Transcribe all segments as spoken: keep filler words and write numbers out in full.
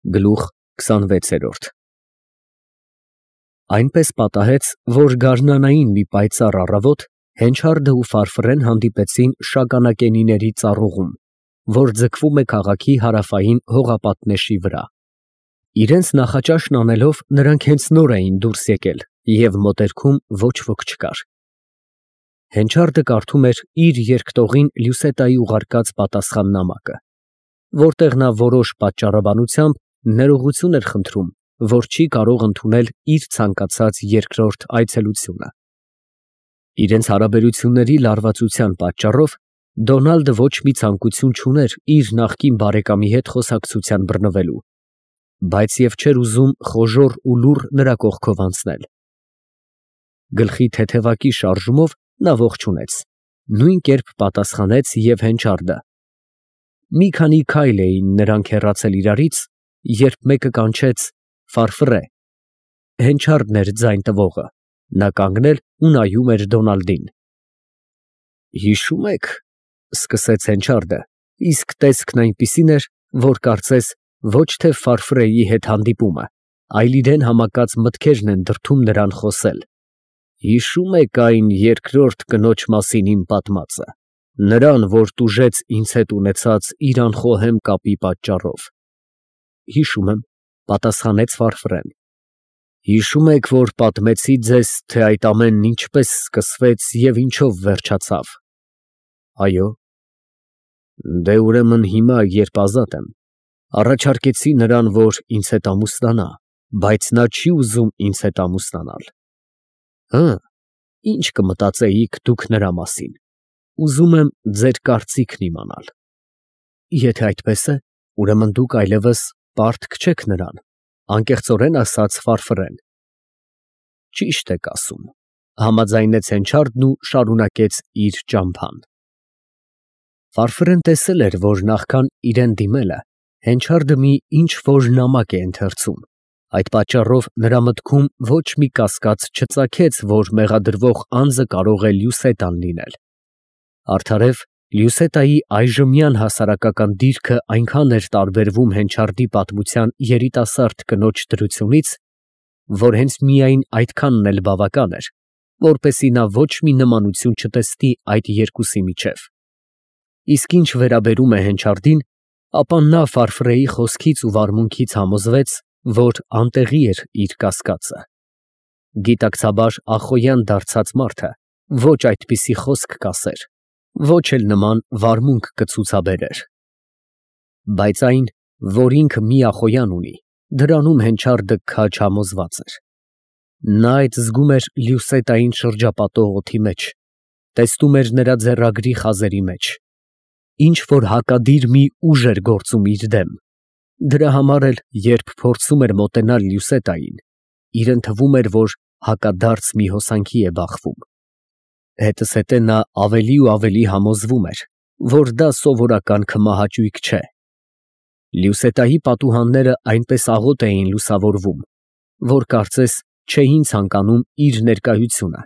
Գլուխ քսանվեցերորդ Այնպես պատահեց, որ գարնանային մի պայծառ առավոտ Հենչարդը ու Ֆարֆռեն հանդիպեցին Շագանակենիների ծառուղում, որ ձգվում է քաղաքի հարավային հողապատնեշի վրա։ Իրենց նախաճաշն անելով նրանք հենց նոր էին դուրս եկել և մոտերքում ոչ ոք չկար։ Հենչարդը կարդում էր իր երկտողին Լյուսետայի ուղարկած պատասխան նամակը, որտեղ նա որոշ պատճառաբանությամբ ներողություն էր խնդրում, որ չի կարող ընդունել իր ցանկացած երկրորդ այցելությունը։ Իրենց հարաբերությունների լարվածության պատճառով Դոնալդը ոչ մի ցանկություն չուներ իր նախկին բարեկամի հետ խոսակցության բռնվելու, բայց և չէր ուզում խոժոռ ու լուռ նրա կողքով անցնել։ Գլխի թեթևակի շարժումով նա ողջունեց, նույն կերպ պատասխանեց և Հենչարդը։ Մի քանի քայլ էին նրանք հեռացել իրարից, երբ մեկը կանչեց. «Ֆարֆռե»։ Հենչարդն էր ձայն տվողը, նա կանգնել ու նայում էր Դոնալդին։ «Հիշո՞ւմ եք, ֊ սկսեց Հենչարդը, իսկ տեսքն այնպիսին էր, որ կարծես ոչ թե Ֆարֆռեի հետ հանդիպումը, այլ իրան համակած մտքերն են դրդում նրան խոսել, ֊ հիշո՞ւմ եք այն երկրորդ կնոջ մասին իմ պատմածը, նրան, որ տուժեց ինձ հետ ունեցած իր անխոհեմ կապի պատճառով։ ֊ Հիշում եմ, ֊ պատասխանեց Ֆարֆռեն։ ֊ Հիշո՞ւմ եք, որ պատմեցի ձեզ, թե այդ ամենն ինչպես սկսվեց և ինչով վերջացավ։ ֊ Այո։ ֊ Դե, ուրեմն հիմա, երբ ազատ եմ, առաջարկեցի նրան, որ ինձ հետ ամուսնանա, բայց նա չի ուզում ինձ հետ ամուսնանալ։ ֊ Հը, ի՞նչ կմտածեիք դուք նրա մասին, ուզում եմ ձեր կարծիքն իմանալ։ ֊ Եթե այդպես է, ուրեմն դուք այլևս պարտք չեք նրան, ֊ անկեղծորեն ասաց Ֆարֆռեն։ ֊ Ճիշտ եք ասում, ֊ համաձայնեց Հենչարդն ու շարունակեց իր ճամփան։ Ֆարֆռեն տեսել էր, որ նախքան իրան դիմելը Հենչարդը մի ինչ֊որ նամակ է ընթերցում, այդ պատճառով նրա մտքում ոչ մի կասկած չծագեց, որ մեղադրվող անձը կարող է Լյուսետան լինել։ Արդարև, Լյուսետայի այժմյան հասարակական դիրքը այնքան էր տարբերվում Հենչարդի պատմության երիտասարդ կնոջ դրությունից, որ հենց միայն այդքանն էլ բավական էր, որպեսզի նա ոչ մի նմանություն չտեսնի այդ երկուսի միջև։ Իսկ ինչ վերաբերում է Հենչարդին, ապա նա Ֆարֆռեի խոսքից ու վարմունքից համոզվեց, որ անտեղի էր իր կասկածը։ Գիտակցաբար ախոյան դարձած մարդը ոչ այդպիսի խոսք կասեր, ոչ էլ նման վարմունք կցուցաբերեր։ Բայց այն, որ ինքը մի ախոյան ունի, դրանում Հենչարդը քաջ համոզված էր։ Նա այդ զգում էր Լյուսետային շրջապատող օդի մեջ, տեսնում էր նրա ձեռագրի խազերի մեջ, ինչ֊որ հակադիր մի ուժ էր գործում իր դեմ։ Դրա համար էլ, երբ փորձում էր մոտենալ Լյուսետային, իրան թվում էր, որ հակադարձ մի հոսանքի է բախվում։ Հետզհետե նա ավելի ու ավելի համոզվում էր, որ դա սովորական քմահաճույք չէ։ Լյուսետայի պատուհանները այնպես աղոտ էին լուսավորվում, որ կարծես չէին ցանկանում իր ներկայությունը։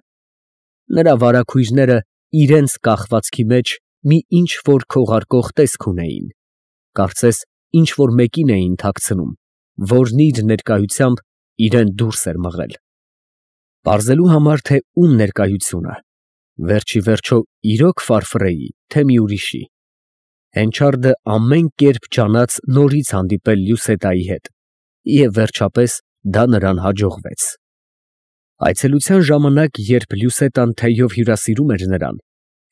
Նրա վարագույրները իրենց կախվածքի մեջ մի ինչ֊որ քողարկող տեսք ունեին, կարծես ինչ֊որ մեկին էին թաքցնում, որն իր ներկայությամբ իրան դուրս էր մղել։ Պարզելու համար, թե ում ներկայությունը, վերջիվերջո իրո՞ք Ֆարֆռեի, թե մի ուրիշի, Հենչարդը ամեն կերպ ջանաց նորից հանդիպել Լյուսետայի հետ, և վերջապես դա նրան հաջողվեց։ Այցելության ժամանակ, երբ Լյուսետան թեյով հյուրասիրում էր նրան,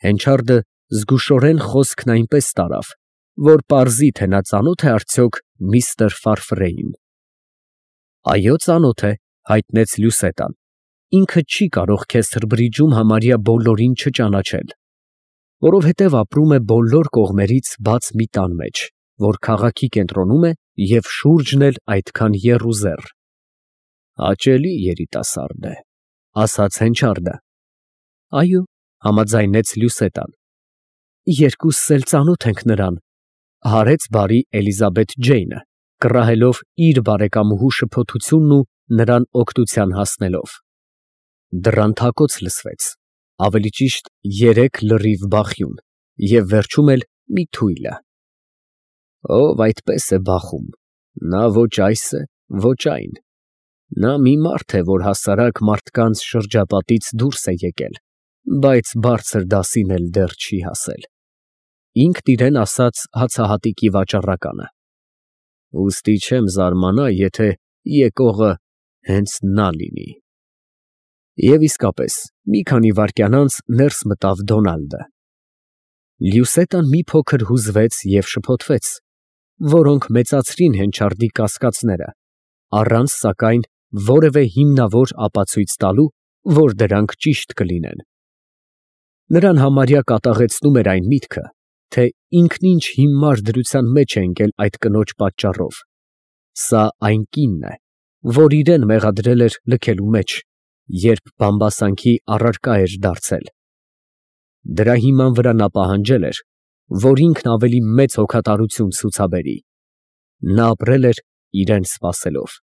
Հենչարդը զգուշորեն խոսքն այնպես տարավ, որ պարզի, թե նա ծանո՞թ է արդյոք միստր Ֆարֆռեին։ Այո, ծանոթ է, ֊ հայտնեց Լյուսետան, ֊ ինքը չի կարող քեզ Սրբրիջում համարյա բոլորին չճանաչել, որովհետև ապրում է բոլոր կողմերից բաց մի տան մեջ, որ քաղաքի կենտրոնում է և շուրջն էլ այդքան եռուզեռ։ ֊ Հաճելի երիտասարդ է, ֊ ասաց Հենչարդը։ ֊ Այո, ֊ համաձայնեց Լյուսետան։ ֊ Երկուսս էլ ծանոթ ենք նրան, ֊ հարեց բարի Էլիզաբեթ Ջեյնը, կռահելով իր բարեկամուհու շփոթությունն ու նրան օգնության հասնելով։ Դռան թակոց լսվեց, ավելի ճիշտ երեք լրիվ բախյուն, և վերջում էլ մի թույլը։ Ով այդպես է բախում, Նա ոչ այս է, ոչ այն։ Նա մի մարդ է, որ հասարակ մարդկանց շրջապատից դուրս է եկել, բայց բարձր դասին էլ դեռ չի հասել։ Ինքն իրեն ասաց հացահատիկի վաճառականը։ Ուստի չեմ զարմանա, եթե եկողը հենց նա լինի։ Եվ իսկապես, մի քանի վայրկյան անց ներս մտավ Դոնալդը։ Լյուսետան մի փոքր հուզվեց և շփոթվեց, որոնք մեծացրին Հենչարդի կասկածները, առանց, սակայն, որևէ հիմնավոր ապացույց տալու, որ դրանք ճիշտ կլինեն։ Նրան համարյա կատաղեցնում էր այն միտքը, թե ինքն ինչ հիմար դրության մեջ է ընկել այդ կնոջ պատճառով։ Սա այն կինն է, որ իրեն մեղադրել էր լքելու մեջ, երբ բամբասանքի առարկա էր դարձել։ Դրա հիման վրա նա պահանջել էր, որ ինքն ավելի մեծ հոգատարություն ցուցաբերի։ Նա ապրել էր իրեն սպասելով։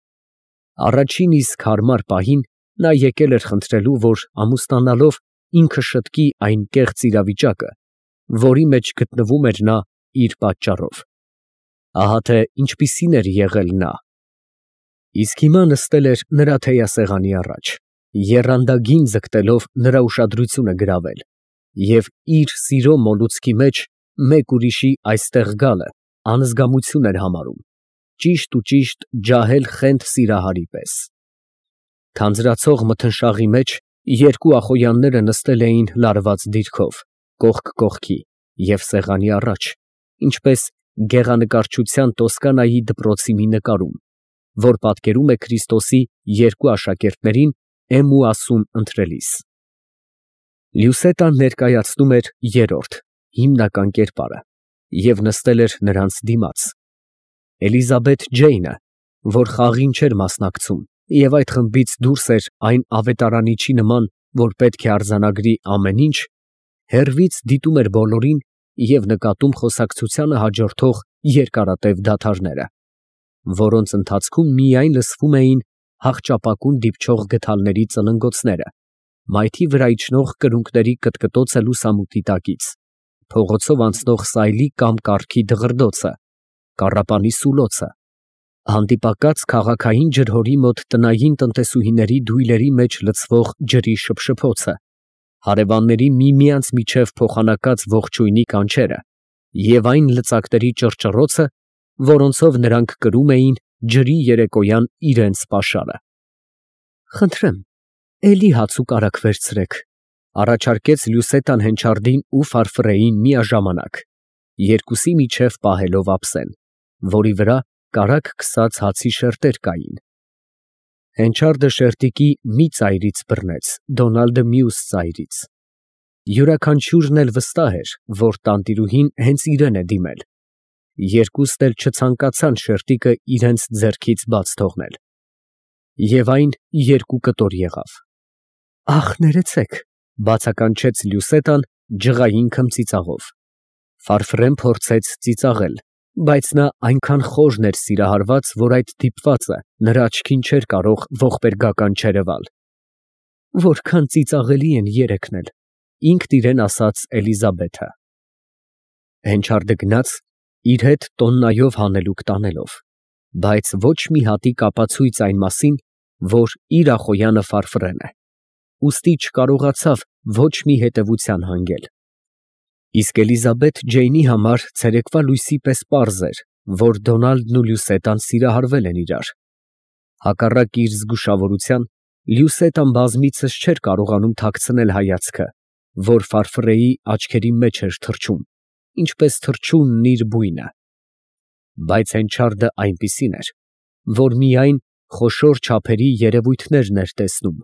Առաջին իսկ հարմար պահին նա եկել էր խնդրելու, որ ամուսնանալով ինքը շտկի այն կեղծ իրավիճակը, որի մեջ գտնվում էր նա իր պատճառով։ Ահա թե ինչպիսին էր եղել նա։ Իսկ հիմա նստել էր նրա թեյասեղանի առաջ, եռանդագին ձգտելով նրա ուշադրությունը գրավել, և իր սիրո մոլուցքի մեջ մեկ ուրիշի այստեղ գալը անզգամություն էր համարում, ճիշտ ու ճիշտ ջահել խենթ սիրահարի պես։ Թանձրացող մթնշաղի մեջ երկու ախոյանները նստել էին լարված դիրքով, կողք կողքի և սեղանի առաջ, ինչպես գեղանկարչության Տոսկանայի դպրոցի մի նկարում, որ պատկերում է Քրիստոսի երկու աշակերտներին էմուասում ընթրելիս։ Լյուսետան ներկայացնում էր երրորդ, հիմնական կերպարը և նստել էր նրանց դիմաց։ Էլիզաբեթ Ջեյնը, որ խաղին չէր մասնակցում և այդ խմբից դուրս էր այն ավետարանիչի նման, որ պետք է արձանագրի ամեն ինչ, հեռվից դիտում էր բոլորին և նկատում խոսակցությանը հաջորդող երկարատև դադարները, որոնց ընթացքում միայն լսվում էին հախճապակուն դիպչող գդալների ծլնգոցները, մայթի վրա իջնող կրունկների կտկտոցը լուսամուտի տակից, փողոցով անցնող սայլի կամ կառքի դղրդոցը, կառապանի սուլոցը, հանդիպակաց քաղաքային ջրհորի մոտ տնային տնտեսուհիների դույլերի մեջ լցվող ջրի շփշփոցը, հարևանների միմյանց միջև փոխանակած ողջույնի կանչերը և այն լծակների ճռճռոցը, որոնցով նրանք կրում էին ջրի երեկոյան իրենց պաշարը։ ֊ Խնդրեմ, էլի հաց ու կարագ վերցրեք, ֊ առաջարկեց Լյուսետան Հենչարդին ու Ֆարֆրեին միաժամանակ, երկուսի միջև պահելով ափսեն, որի վրա կարագ քսած հացի շերտեր կային։ Հենչարդը շերտիկի մի ծայրից բռնեց, Դոնալդը մյուս ծայրից։ Յուրաքանչյուրն էլ վստահ էր, որ տանտիրուհին հենց իրեն է դիմել։ Երկուստ էլ չցանկացան շերտիկը իրենց ձեռքից բաց թողնել։ Եվ այն երկու կտոր եղավ։ ֊ Ախ, ներեցեք, ֊ բացականչեց Լյուսետան ջղային քմծիծաղով։ Ֆարֆրեն փորձեց ծիծաղել, բայց նա այնքան խորն էր սիրահարված, որ այդ դիպվածը նրա աչքին չէր կարող ողբերգական չերևալ։ ֊ Որքան ծիծաղելի են երեքն էլ, ֊ ինքն իրեն ասաց Էլիզաբեթը։ Հենչարդը գնաց, իր հետ տոննայով հանելուկ տանելով, բայց ոչ մի հատիկ ապացույց այն մասին, որ իր ախոյանը Ֆարֆրեն է, ուստի չկարողացավ ոչ մի հետևության հանգել։ Իսկ Էլիզաբեթ Ջեյնի համար ցերեկվա լույսի պես պարզ էր, որ Դոնալդն ու Լյուսետան սիրահարվել են իրար։ Հակառակ իր զգուշավորության, Լյուսետան բազմիցս չէր կարողանում թաքցնել հայացքը, որ Ֆարֆրեի աչքերի մեջ էր թռչում, ինչպես թռչունն իր բույնը։ Բայց Հենչարդը այնպիսին էր, որ միայն խոշոր չափերի երևույթներն էր տեսնում։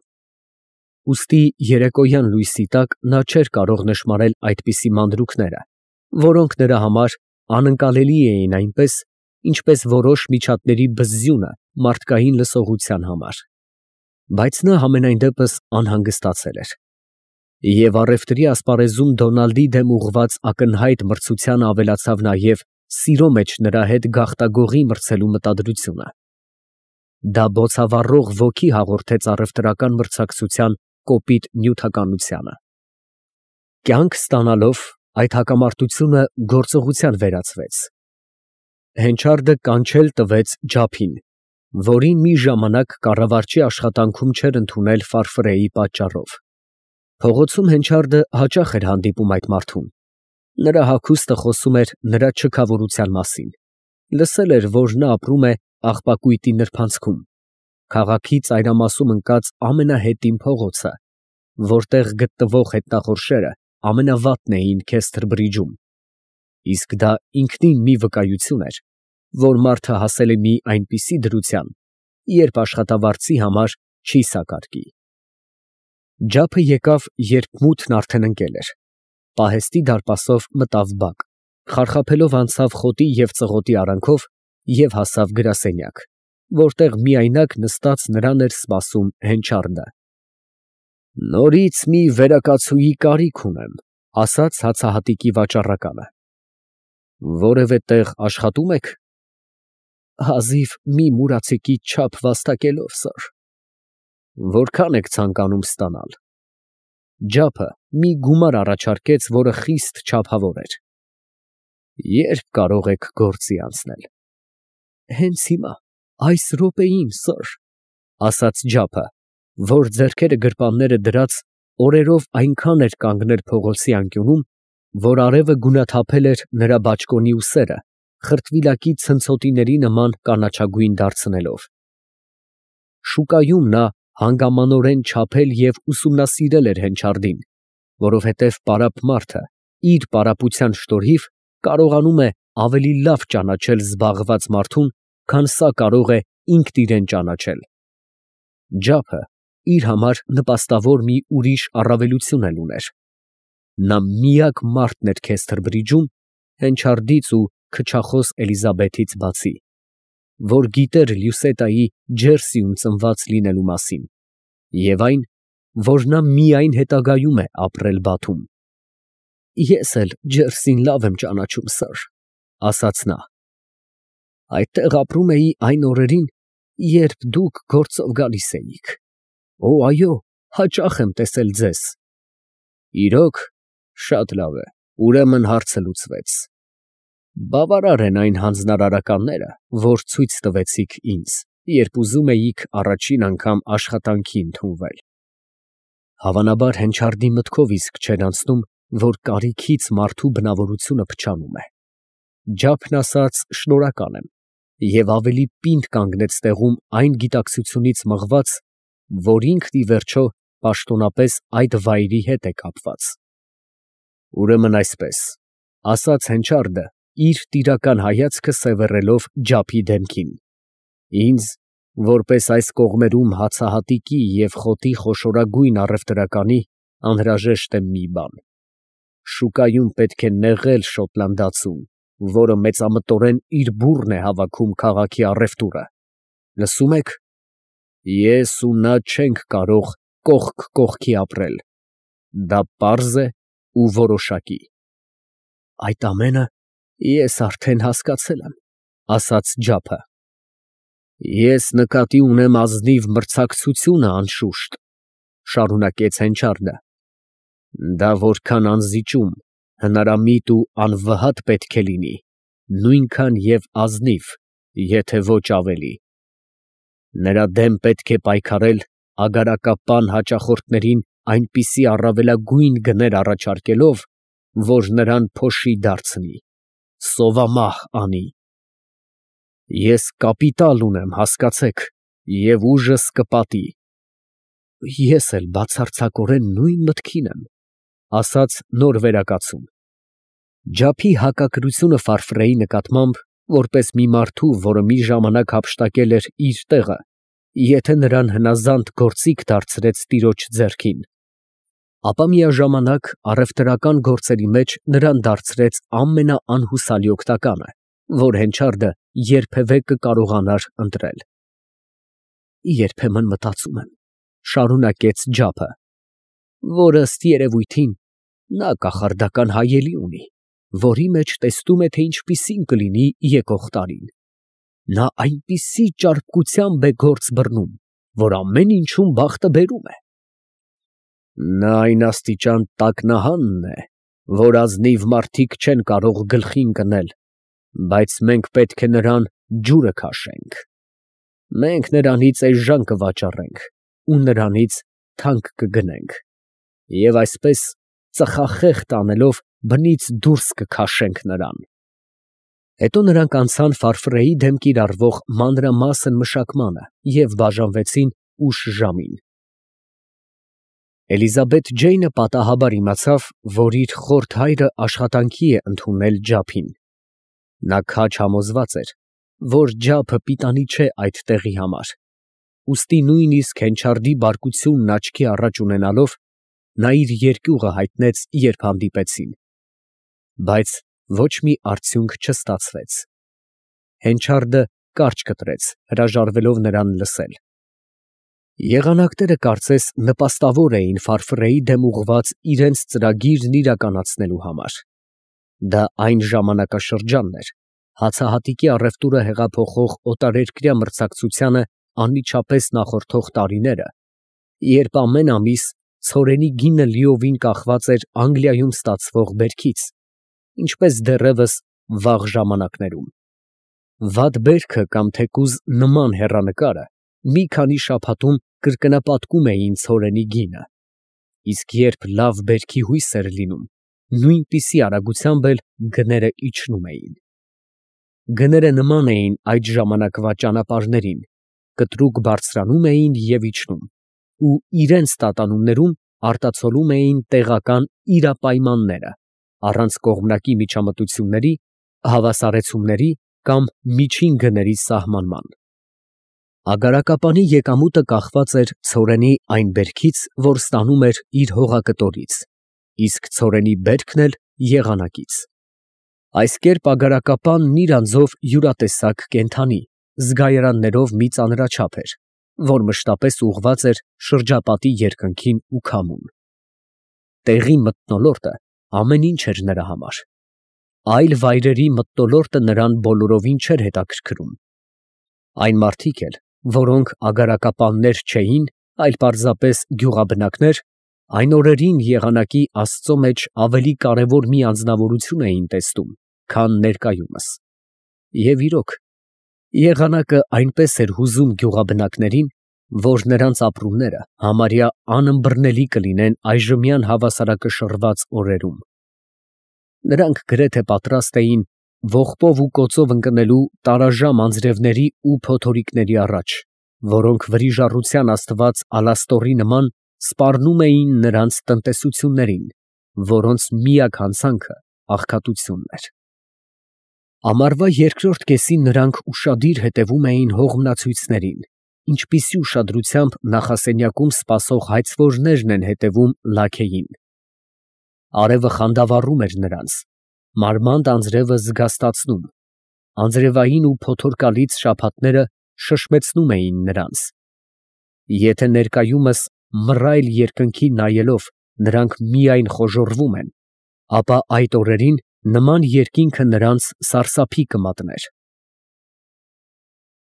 Ուստի երեկոյան լույսի տակ նա չէր կարող նշմարել այդպիսի մանրուքները, որոնք նրա համար անկալելի էին այնպես, ինչպես որոշ միջատների բզզյունը մարդկային լսողության համար։ Բայց նա համենայն դեպս անհանգստացել էր։ Եվ առևտրի ասպարեզում Դոնալդի դեմ ուղղված ակնհայտ մրցությանը ավելացավ նաև սիրո մեջ նրա հետ գաղտագողի մրցելու մտադրությունը։ Դա բոցավառող ոգի հաղորդեց առևտրական մրցակցության կոպիտ նյութականությանը։ Կյանք ստանալով, այդ հակամարտությունը գործողության վերածվեց։ հենչարդը կանչել տվեց Ջափին, որին մի ժամանակ կառավարչի աշխատանքում չէր ընդունել Ֆարֆրեի պատճառով։ Փողոցում հենչարդը հաճախ էր հանդիպում այդ մարդուն։ Նրա հագուստը խոսում էր նրա չքավորության մասին։ Լսել էր, որ նա ապրում է աղբակույտի նրբանցքում, քաղաքի ծայրամասում ընկած ամենահետին փողոցը, որտեղ գտնվող հետնախորշերը ամենավատն էին Քեսթր բրիջում։ Իսկ դա ինքնին մի վկայություն էր, որ մարդը հասել է մի այնպիսի դրության, երբ աշխատավարձի համար չի սակարկի։ Ջափը եկավ, երբ մութն արդեն ընկել էր։ Պահեստի դարպասով մտավ բակ, խարխափելով անցավ խոտի և ծղոտի արանքով և հասավ գրասենյակ, որտեղ միայնակ նստած նրան էր սպասում հենչարդը։ «Նորից մի վերակացուի կարիք ունեմ», ֊ ասաց հացահատիկի վաճառականը։ «Որևէ տեղ աշխատում եք»։ «Հազիվ մի մուրացիկի չափ վաստակելով, սըր»։ «Որքան եք ցանկանում ստանալ»։ Ջափը մի գումար առաջարկեց, որը խիստ չափավոր էր։ «Ե՞րբ կարող եք գործի անցնել»։ «Հենց հիմա, այս րոպեին, սըր», ֊ ասաց Ջափը, որ ձեռքերը գրպանները դրած օրերով այնքան էր կանգնել փողոցի անկյունում, որ արևը գունաթափել էր նրա բաճկոնի ուսերը, խրտվիլակի ցնցոտիների նման կանաչագույն դարձնելով։ Շուկայում նա հանգամանորեն չափել և ուսումնասիրել էր հենչարդին, որովհետև պարապ մարդը իր պարապության շնորհիվ կարողանում է ավելի լավ ճանաչել զբաղված մարդուն, քան սա կարող է ինքն իրան ճանաչել։ Ջափը իր համար նպաստավոր մի ուրիշ առավելություն էլ ուներ. նա միակ մարդն էր Քեսթր բրիջում, հենչարդից ու քչախոս Էլիզաբեթից բացի, որ գիտեր Լյուսետայի Ջերսիում ծնված լինելու մասին, և այն, որ նա միայն հետագայում է ապրել Բաթում։ «Ես էլ Ջերսին լավ եմ ճանաչում, սըր», ֊ ասաց նա։ «Այդտեղ ապրում էի այն օրերին, երբ դուք գործով գալիս էիք։ Օ, այո, հաճախ եմ տեսել ձեզ»։ «Իրո՞ք, շատ լավ է, ուրեմն հարցը լուծվեց։ Բավարար են այն հանձնարարականները, որ ցույց տվեցիք ինձ, երբ ուզում էիք առաջին անգամ աշխատանքի ընդունվել»։ Հավանաբար հենչարդի մտքով իսկ չէր անցնում, որ կարիքից մարդու բնավորությունը փչանում է։ Ջափն ասաց շնորհակալ եմ և ավելի պինդ կանգնեց տեղում այն գիտակցությունից մղված, որ ինքն ի վերջո պաշտոնապես այդ վայրի հետ է կապված։ «Ուրեմն այսպես», ֊ ասաց հենչարդը, իր տիրական հայացքը սևեռելով Ջափի դեմքին, «ինձ, որպես այս կողմերում հացահատիկի և խոտի խոշորագույն առևտրականի, անհրաժեշտ է մի բան. շուկայում պետք է նեղել շոտլանդացուն, որը մեծամտորեն իր բուռն է հավաքում քաղաքի առևտուրը։ Լսո՞ւմ եք։ Ես ու նա չենք կարող կողք կողքի ապրել, դա պարզ է ու որոշակի»։ «Այդ ամենը ես արդեն հասկացել եմ», ֊ ասաց Ջափը։ «Ես նկատի ունեմ ազնիվ մրցակցությունը, անշուշտ», ֊ շարունակեց հենչարդը։ «Դա որքան անզիջում, հնարամիտ ու անվհատ պետք է լինի, նույնքան և ազնիվ, եթե ոչ ավելի։ Նրա դեմ պետք է պայքարել ագարակապան հաճախորդներին այնպիսի առավելագույն գներ առաջարկելով, որ նրան փոշի դարձնի, սովամահ անի։ Ես կապիտալ ունեմ, հասկացեք, և ուժս կպատի»։ «Ես էլ բացարձակորեն նույն մտքին եմ», ֊ ասաց նոր վերակացուն։ Ջափի հակակրությունը Ֆարֆրեի նկատմամբ, որպես մի մարդու, որը մի ժամանակ հափշտակել էր իր տեղը, եթե նրան հնազանդ գործիք դարձրեց տիրոջ ձեռքին, ապա միաժամանակ առևտրական գործերի մեջ նրան դարձրեց ամենաանհուսալի օգտականը, որ հենչարդը երբևէ կկարողանար ընտրել։ «Երբեմն մտածում եմ, ֊ շարունակեց Ջափը, ֊ որ ըստ երևույթին նա կախարդական հայելի ունի, որի մեջ տեսնում է, թե ինչպիսին կլինի եկող տարին։ Նա այնպիսի ճարպկությամբ է գործ բռնում, որ ամեն ինչում բախտը բերում է։ Նա այն աստիճան տակնահանն է, որ ազնիվ մարդիկ չեն կարող գլխի ընկնել, բայց մենք պետք է նրան ջուրը քաշենք. մենք նրանից էժան կվաճառենք ու նրանից թանկ կգնենք, և այսպես ծխախեղտ անելով բնից դուրս կքաշենք նրան։ Հետո նրանք անցան Ֆարֆրեի դեմ կիրառվող մանրամասն մշակմանը և բաժանվեցին ուշ ժամին։ Էլիզաբեթ Ջեյնը պատահաբար իմացավ, որ իր խորթ հայրը աշխատանքի է ընդունել ջափին։ Նա քաջ համոզված էր, որ ջափը պիտանի չէ այդ տեղի համար, ուստի նույնիսկ Հենչարդի բարկությունն աչքի առաջ ունենալով, նա իր երկյուղը հայտնեց, երբ հանդիպեցին։ Բայց ոչ մի արդյունք չստացվեց։ Հենչարդը կարճ կտրեց, հրաժարվելով նրան լսել։ Եղանակները կարծես նպաստավոր էին Ֆարֆրեի դեմ ուղղված իրենց ծրագիրն իրականացնելու համար։ Դա այն ժամանակաշրջանն էր, հացահատիկի առևտուրը հեղափոխող օտարերկրյա մրցակցությանը անմիջապես նախորդող տարիները, երբ ամեն ամիս ցորենի գինը լիովին կախված էր Անգլիայում ստացվող բերքից, ինչպես դեռևս վաղ ժամանակներում։ Վատ բերքը կամ թեկուզ նման հեռանկարը մի քանի շաբաթում կրկնապատկում էին ցորենի գինը, իսկ երբ լավ բերքի հույս էր լինում, նույնպիսի արագությամբ էլ գները իջնում էին։ Գները նման էին այդ ժամանակվա ճանապարհներին, կտրուկ բարձրանում էին և իջնում, ու իրենց տատանումներում արտացոլում էին տեղական իրապայմանները, առանց կողմնակի միջամտությունների, հավասարեցումների կամ միջին գների սահմանման։ Ագարակապանի եկամուտը կախված էր ցորենի այն բերքից, որ ստանում էր իր հողակտորից, իսկ ցորենի բերքն էլ եղանակից։ Այս կերպ ագարակապանն իր անձով յուրատեսակ կենդանի, զգայարաններով մի ծանրաչափ էր, որ մշտապես ուղղված էր շրջապատի երկնքին ու քամուն։ Տեղի մթնոլորտը ամեն ինչ էր նրա համար։ Այլ վայրերի մթնոլորտը նրան բոլորովին չէր հետաքրքրում։ Այն մարդիկ էլ, որոնք ագարակապաններ չէին, այլ պարզապես գյուղաբնակներ, այն օրերին եղանակի Աստծո մեջ ավելի կարևոր մի անձնավորություն էին տեսնում, քան ներկայումս։ Եվ իրոք, եղանակը այնպես էր հուզում գյուղաբնակներին, որ նրանց ապրումները համարյա անըմբռնելի կլինեն այժմյան հավասարակշռված օրերում։ Նրանք գրեթե պատրաստ էին ողբով ու կոծով ընկնելու տարաժամ անձրևների ու փոթորիկների առաջ, որոնք վրիժառության աստված Ալաստորի նման սպառնում էին նրանց տնտեսություններին, որոնց միակ հանցանքը աղքատությունն էր։ Ամառվա երկրորդ կեսին նրանք ուշադիր հետևում էին հողմնացույցներին, ինչպիսի ուշադրությամբ նախասենյակում սպասող հայցվորներն են հետևում լաքեին։ Արևը խանդավառում էր նրանց, մարմանդ անձրևը զգաստացնում, անձրևային ու փոթորկալից շաբաթները շշմեցնում էին նրանց։ Եթե ներկայումս մռայլ երկնքին նայելով նրանք միայն խոժոռվում են, ապա այդ օրերին նման երկինքը նրանց սարսափի կմատներ։